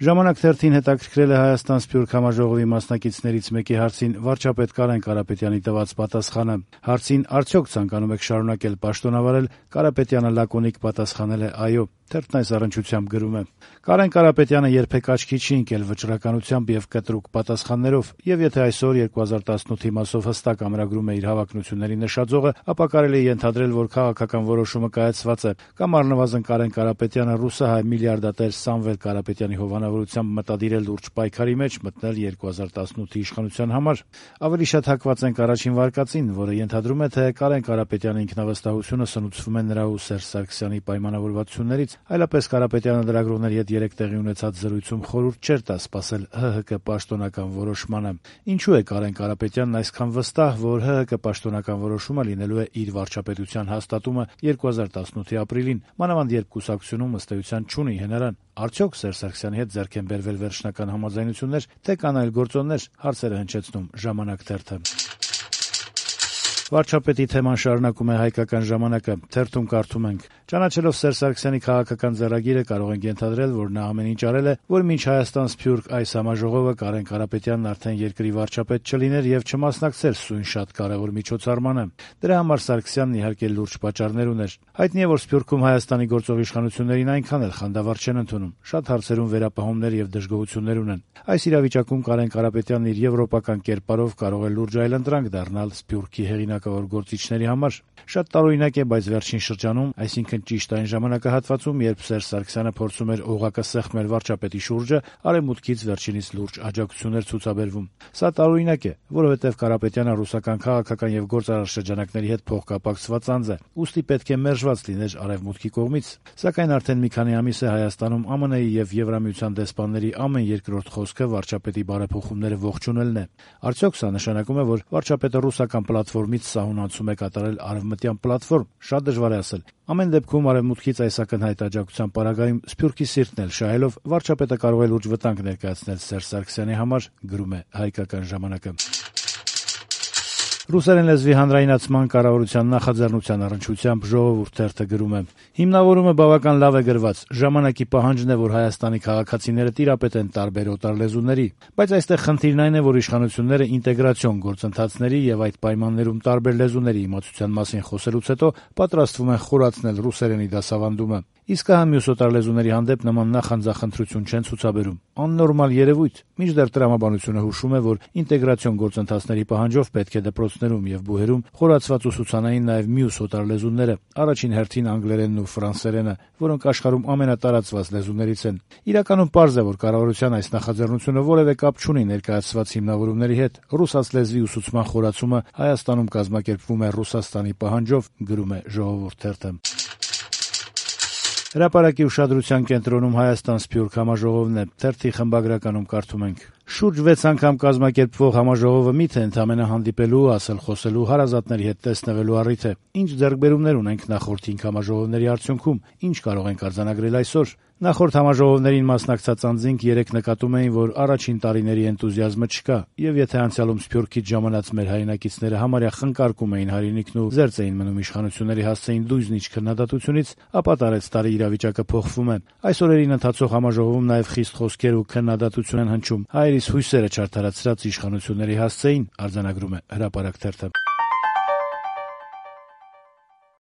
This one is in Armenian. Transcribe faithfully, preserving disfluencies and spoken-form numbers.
Ժամանակ թերթին հետաքրքրել է Հայաստան Սփյուռք համաժողովի մասնակիցներից մեկի հարցին վարչապետ Կարեն Կարապետյանի տված պատասխանը։ Հարցին արդյոք ցանկանում եք շարունակել պաշտոնավարել, Կարապետյանը լակոնիկ պատասխանել է այո։ Թերթն այս առնչությամբ գրում է. Կարեն Կարապետյանը երբեք աչքի չի ընկել վճռականությամբ եւ կտրուկ պատասխաններով, եւ եթե այսօր երկու հազար տասնութի մասով հստակ ամրագրում է իր հավակնությունների նշաձողը, ապա կարելի է ենթադրել, որ քաղաքական որոշումը կայացված է, կամ առնվազն Կարեն Կարապետյանը ռուսահայ միլիարդատեր Սամվել Կարապետյանի հովանավորությամբ մտադիր է լուրջ պայքարի մեջ մտնել երկու հազար տասնութի իշխանության համար։ Ավելի շատ հակված ենք առաջին վարկածին, որը ենթադրում է, թե Կարեն Կարապետյանի ինքնավստահությունը սնուցվում է նրա ու Սերժ Սարգսյանի պայմանավորվածություններից, այլապես Կարապետյանը լրագրողների հետ երեկ տեղի ունեցած զրույցում խորհուրդ չէր տա սպասել ՀՀԿ պաշտոնական որոշմանը։ Ինչու է Կարեն Կարապետյանն այսքան վստահ, որ ՀՀԿ պաշտոնական որոշումը լինելու է իր վարչապետության հաստատումը երկու հազար տասնութի ապրիլին, մանավանդ երբ կուսակցությունում ըստ էության չունի հնարան։ Արդյոք Սերժ Սարգսյանի հետ ձեռք են բերվել վերջնական համաձայնություններ, թե կան այլ գործոններ, հարցերը հնչեցնում Ժամանակ թերթը։ Վարչապետի թեման շարունակում է Հայկական ժամանակը, թերթում կարդում ենք. Ճանաչելով Սերժ Սարգսյանի քաղաքական ձեռագիրը կարող ենք ենթադրել, որ նա ամեն ինչ արել է, որ մինչ Հայաստան Սփյուռք այս համաժողովը Կարեն Կարապետյանն արդեն երկրի վարչապետ չլիներ եւ չմասնակցեր սույն շատ կարեւոր միջոցառմանը։ Դրա համար Սարգսյանն իհարկե լուրջ պատճառներ ուներ։ Հայտնի է, որ Սփյուռքում Հայաստանի գործող իշխանություններին այնքան էլ խանդավառ չեն ընդունում, շատ հարցերում վերապահումներ եւ դժգոհություններ ունեն։ Այս իրավիճակում Կարեն Կարապետյանն իր եվրոպական կերպարով կարող է լուրջ այլընտրանք դառնալ Սփյուռքի հեղինակավոր գործիչների համար։ Շատ տարօրինակ է, բայց վերջին շրջանում, այսինքն ճիշտ այն ժամանակահատվածում, երբ Սերժ Սարգսյանը փորձում էր օղակը սեղմել վարչապետի շուրջը, արևմուտքից վերջինիս լուրջ աջակցություններ ցուցաբերվում։ Սա տարօրինակ է, որովհետև Կարապետյանը ռուսական քաղաքական եւ գործարար շրջանակների հետ փոխկապակցված անձ է, ուստի պետք է մերժված լիներ արևմուտքի կողմից։ Սակայն արդեն մի քանի ամիս է Հայաստանում ԱՄՆ-ի եւ Եվրամիության դեսպանների ամեն երկրորդ խոսքը վարչապետի բարեփոխումները ողջունելն է։ Արդյոք սա նշանակում է, որ վարչապետը ռուսական պլատֆորմից սահուն է կատարել արևմտյան պլատֆորմ, շատ դժվար է ասել։ Ամեն դեպքում արևմուտքից այս ակնհայտ աջակցության պարագայում Սփյուռքի սիրտն էլ շահելով վարչապետը կարող է լուրջ վտանգ ներկայացնել Սերժ Սարգսյանի համար, գրում է Հայկական ժամանակը։ Ռուսերեն լեզվի հանրայնացման կառավարության նախաձեռնության առնչությամբ Ժողովուրդ թերթը գրում է. Հիմնավորումը բավական լավ է գրված։ Ժամանակի պահանջն է, որ Հայաստանի քաղաքացիները տիրապետեն տարբեր օտար լեզուների, բայց այստեղ խնդիրն այն է, որ իշխանությունները ինտեգրացիոն գործընթացների եւ այդ պայմաններում տարբեր լեզուների իմացության մասին խոսելուց հետո պատրաստվում են խորացնել ռուսերենի դասավանդումը։ Իսկ հա մյուս օտար լեզուների հանդեպ նման նախանձախնդրություն չեն ցուցաբերում։ Աննորմալ երևույթ։ Մինչդեռ տրամաբանությունը հուշում է, որ ինտեգրացիոն գործընթացների պահանջով պետք է դպրոցներում եւ բուհերում խորացված ուսուցանային նաեւ մյուս օտար լեզուները, առաջին հերթին անգլերենն ու ֆրանսերենը, որոնք աշխարհում ամենատարածված լեզուներից են։ Իրականում պարզ է, որ կառավարության այս նախաձեռնությունը որևէ կապ չունի ներկայացված հիմնավորումների հետ։ Ռուսաց լեզվի ուսուցման խորացումը Հայաստանում կազմակերպվում է Ռուսաստանի պահանջով, գրում է Ժողովուրդ թերթը։ Հրապարակի ուշադրության կենտրոնում Հայաստան Սփյուռք համաժողովն է, թերթի խմբագրականում կարդում ենք. Շուրջ վեց անգամ կազմակերպվող համաժողովը միթե ընդամենը հանդիպելու, ասել խոսելու, հարազատների հետ տեսնվելու առիթ է։ Ինչ ձեռքբերումներ ունենք նախորդ հինգ համաժողովների արդյունքում, ինչ կարող ենք արձանագրել այսօր։ Նախորդ համաժողովներին մասնակցած անձինք երեք նկատում էին, որ առաջին տարիների էնտուզիազմը չկա, եւ եթե անցյալում Սփյուռքից ժամանած մեր հայրենակիցները համարյա խնկարկում էին հայրենիքն ու զերծ էին մնում իշխանությունների հասցեին դույզնիչ քննադատությունից, ապա տարեց տարի իրավիճակը փոխվում է։ Այս օրերին ընթացող համաժողովում նաեւ խիստ խոսքեր ու քննադատություն են հնչում հայերիս հույսերը չարդարացրած իշխանությունների հասցեին, արձանագրում է Հրապարակ թերթը։